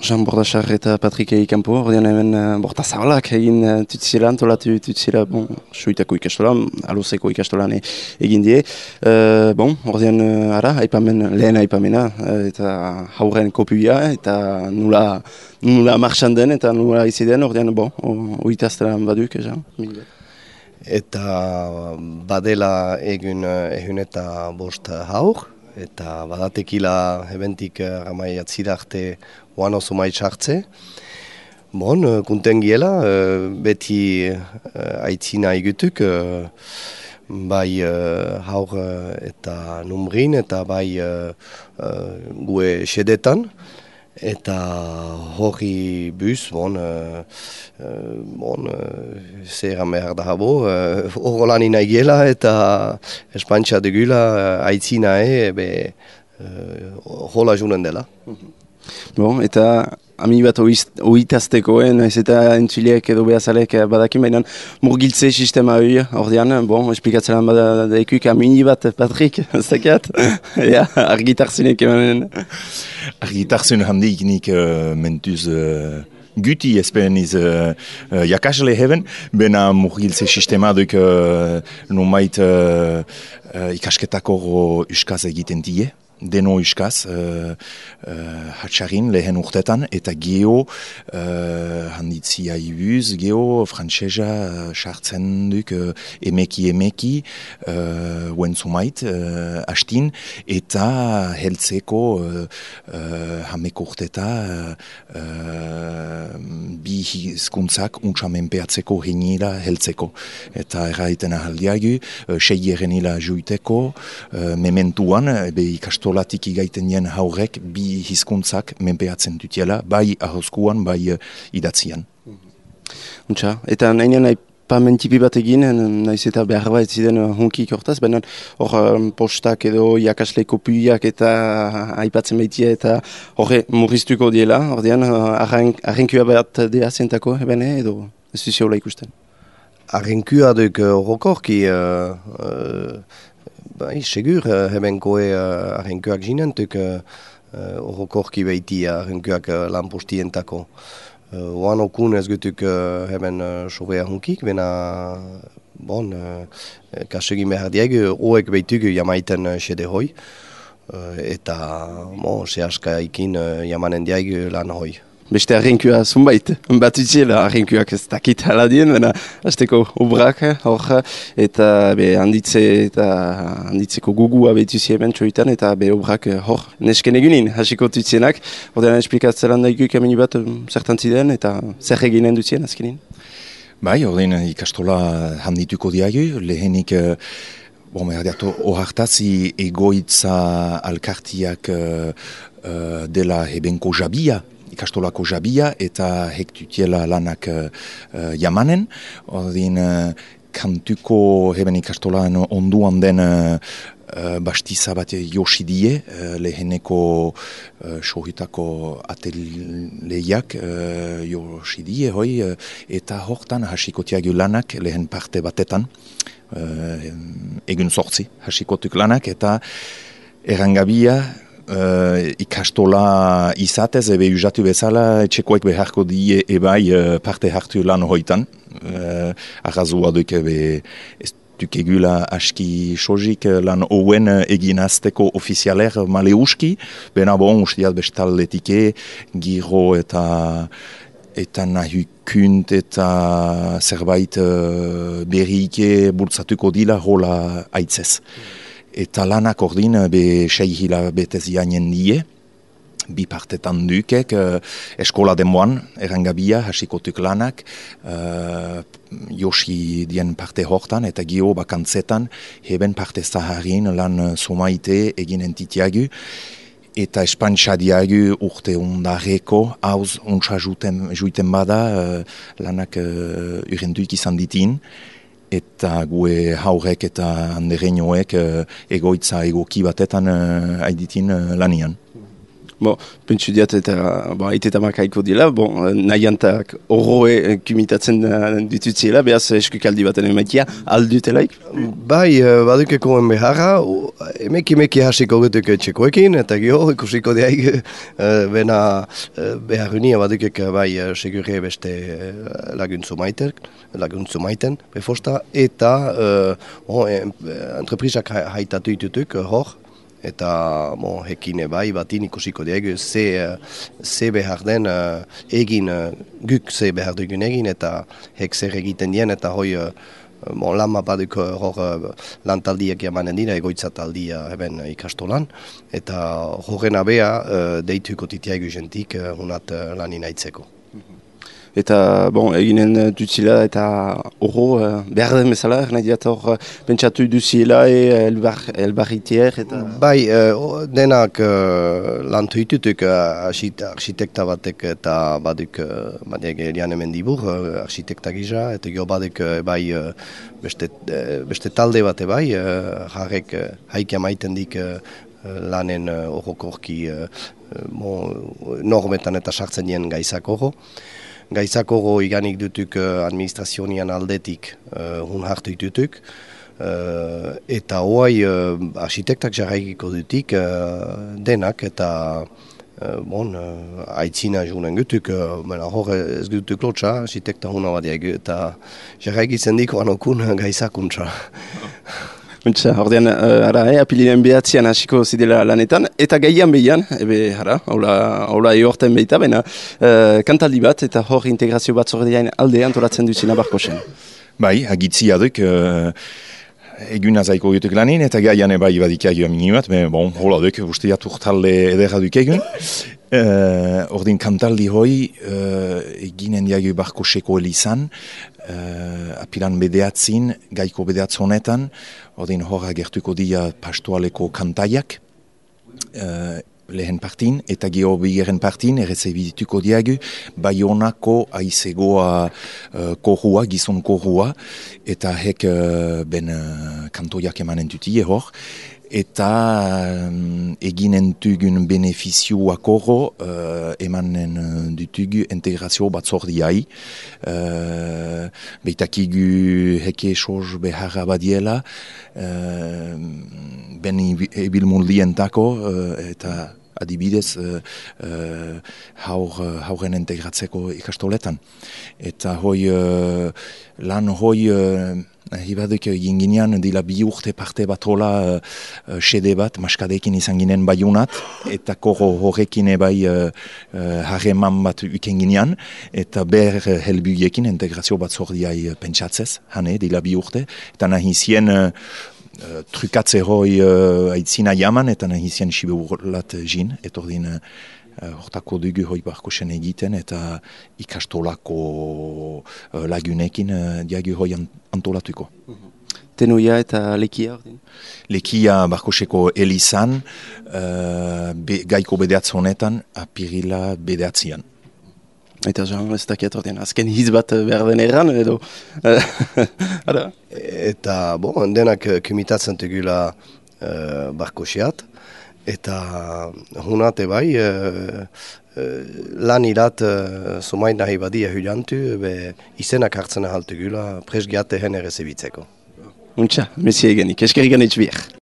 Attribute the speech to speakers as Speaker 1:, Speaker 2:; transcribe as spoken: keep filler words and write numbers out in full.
Speaker 1: Jean Bordachar eta Patrik Eikampo, ordean hemen uh, borta zabalak egin uh, tutzila, antolatu tutzila, bon, suitako ikastola, aluzeko ikastolan e, egin die. Uh, bon, ordean uh, ara, aipamen, lehen aipamena, uh, eta hauren kopia, eta nula, nula marxan den, eta nula izi den, ordean, bon, oitaztelan baduk, Jean.
Speaker 2: Eta badela egun ehun eta bost haur, eta badatekila ebentik ramai atzidarte oan oso maitxartze. Bon, kunten giela, beti aitzina egutuk, bai haur eta numrin, eta bai gue sedetan. Eta hori bus, bon, uh, uh, bon, uh, zer behar da habo, hor lan ina giela eta espantxa dugula uh, aitzina e, be, uh, hola junen dela.
Speaker 1: Bon, eta ami bat oitaztekoen, ez eta entzuliek edo behazalek badakin, baina murgiltze sistema hori, ordean, bon, esplikatzelan bada daikuk amini bat, Patrik, ez dakiat, ja, argitarzinek emanen.
Speaker 3: Argitarzen handik nik uh, mentuz uh, guti espeniz uh, uh, jakasle heben, bena murgiltze sistema duk uh, nomait uh, uh, ikasketako uskaz egiten die. Deno iskaz, uh, uh, hatxarin lehen urtetan, eta geo uh, handitzia ibuz, geo frantsesa sartzen uh, duk uh, emeki emeki uh, uenzumait uh, hastin, eta heltzeko uh, uh, hameko urteta uh, uh, bi hizkuntzak untxamenpeatzeko hinila heltzeko. Eta erraiten ahaldiagu, uh, sei erenila juiteko, uh, mementuan, be ikastu Olatik igaiten nien haurek bi hizkuntzak menpeatzen dutiela, bai ahoskuan, bai uh, idatzian.
Speaker 1: Untxa, eta nahinean aipamentipi bat egin, nahiz eta behar bat ziren hunkik hortaz, baina hor um, postak edo jakasle kopiak eta aipatzen baitia eta horre murriztuko diela, ordean uh, arrenkua bat dea zentako, ebene, edo ez duziola ikusten?
Speaker 2: Arrenkua duk horrokorki... Uh, uh, Bai, segur, hebenkoe uh, arrenkuak zinentuk horrokorki uh, behiti arrenkuak uh, lan postientako. Uh, oan okun ez gutuk uh, heben uh, sobea hunkik, bena bon, uh, kasegin behar diegu, hoek behitugu jamaiten uh, sede hoi, uh, eta bon, sehaska ikin uh, jamanen diegu lan hoi.
Speaker 1: Beste arrenkua zunbait, bat utziela arrenkuak ez dakit haladien, baina azteko obrak hor, eta be, handitze eta handitzeko gugua behituzi hemen txoitan, eta be obrak hor nesken egunin, hasiko tutzienak, ordean esplikatzelan daikuk amini bat zertan ziren, eta zer eginen duzien azkenin?
Speaker 3: Bai, ordean ikastola handituko diagu, lehenik Bon, merdiatu, ohartazi egoitza alkartiak uh, uh, dela hebenko jabia, ikastolako jabia, eta hektutiela lanak uh, uh, jamanen. Ordin, uh, kantuko heben ikastolan onduan den uh, uh, bastiza bat josidie, uh, leheneko uh, sohitako ateleiak uh, josidie, hoi, uh, eta hortan hasikotiagu lanak lehen parte batetan. Uh, egun sortzi, hasikotuk lanak, eta errangabia uh, ikastola izatez, ebe usatu bezala, etxekoek beharko die ebai uh, parte hartu lan hoitan. Uh, Arrazua duk ebe ez duk egula aski sojik lan ouen egin azteko ofizialer maleuski, bena bon, ustiat bestalletike, giro eta eta nahukunt eta zerbait uh, berrike bultzatuko dila hola aitzez. Eta lanak ordin be sei hila betez jainen die, bi partetan dukek, uh, eskola demoan, errangabia, hasikotuk lanak, uh, josi dien parte hortan, eta gio bakantzetan, heben parte zaharin lan somaite egin entitiagu, eta espantxa diagu urte undareko, hauz untsa juiten bada, uh, lanak uh, urenduik izan ditin, eta gue haurek eta andereinoek uh, egoitza egoki batetan uh, aiditin uh, lanian.
Speaker 1: Bon, pentsu diat eta bon, aitetamak haiko dila, bon, nahiantak horroe kumitatzen ditutziela, behaz eskukaldi baten emaitia, aldutelaik?
Speaker 2: Bai, badukekoen beharra, emek emeki hasiko gutuk txekoekin, eta gio ikusiko diaik bena beharrunia badukek bai segurre beste laguntzu maiten, laguntzu maiten, befosta, eta bon, entreprisak haitatu ditutuk hor, eta bon, hekine bai batin ikusiko diegu ze, ze behar den uh, egin, uh, guk ze behar dugun egin eta hek zer egiten dien eta hoi uh, bon, lama baduk hor uh, lantaldiak jamanen dira egoitzataldia eben ikastolan eta horren abea uh, deituko titiaigu jentik uh, hunat uh, lanin aitzeko.
Speaker 1: Eta, bon, eginen dutzila eta horro uh, behar den bezala, nahi diat hor pentsatu duziela e elbar, elbarritier eta...
Speaker 2: Bai, uh, denak uh, lantu hitutuk uh, arxitekta batek eta baduk uh, badek elian hemen dibur, uh, arxitekta gisa, eta gio baduk uh, bai uh, beste, uh, beste talde bate bai, uh, jarrek uh, haikia maiten dik uh, lanen horrokorki uh, uh, bon, normetan eta sartzen dien gaizak horro. Gaizakoro iganik dutuk uh, administrazionian aldetik uh, hun hartu ditutuk. Uh, eta hoai uh, arxitektak jarraikiko dutik uh, denak eta uh, bon, uh, aitzina junen gutuk. Uh, hor ez gutuk lotxa, arxitekta huna badiak eta jarraikitzen diko anokun gaizakuntza.
Speaker 1: Untsa, ordean, uh, ara, eh, apilinen behatzean hasiko zidela lanetan, eta gaian behian, ebe, ara, hola eorten behita, bena, uh, kantaldi bat, eta hor integrazio bat zordeain alde antolatzen duzina Barkosen.
Speaker 3: Bai, agitzia duk, uh, eguna zaiko jutuk lanin, eta gaian bai badikia joa minimat, ben, bon, hola duk, uste jat urtalde edera duk egun. Uh, ordin kantaldi hoi, uh, eginen diago Barkoseko elizan, uh, apilan bedeatzin, gaiko bedeatz honetan, ordin hor agertuko dia pastoaleko kantaiak, uh, lehen partin, eta geho bigeren partin, errezebituko diagu, Baionako aizegoa uh, korrua, gizon korrua, eta hek uh, ben uh, kantoiak emanen dutie hor, eta um, eginen tugun benefizioak horro uh, emanen dutugu integrazio batzordiai. Uh, Beitakigu heke soz beharra badiela, uh, ben ebilmundientako uh, eta adibidez uh, uh, haur, hauren integratzeko ikastoletan. Eta hoi uh, lan hoi uh, Hibaduk ginginean dila bi urte parte bat hola sede uh, bat, maskadekin izan ginen baiunat, eta koro horrekin ebai harreman uh, uh, bat uken ginean, eta ber uh, helbugiekin integrazio bat zordiai uh, pentsatzez, hane, dila bi urte, eta nahi zien uh, uh, trukatze hoi uh, aitzina jaman, eta nahi zien sibe urlat jin, etordin uh, hortako dugu hoi Barkosen egiten eta ikastolako uh, lagunekin uh, diagu hoi antolatuko.
Speaker 1: Tenoia eta lekia?
Speaker 3: Lekia Barkoseko elizan, uh, be, gaiko bedeatz honetan, apirila bedeatzian.
Speaker 1: Eta Jean, ez dakiat ordean, azken hiz bat behar den erran edo?
Speaker 2: Eta, bon, denak kumitatzen tegula uh, Barkosiat, eta hunate bai, uh, uh, lan irat uh, somain nahi badia hulantu, be izenak hartzen ahaltu gula, presgiate hen errezebitzeko.
Speaker 1: Untxa, messi egenik, eskerrik anitz bier.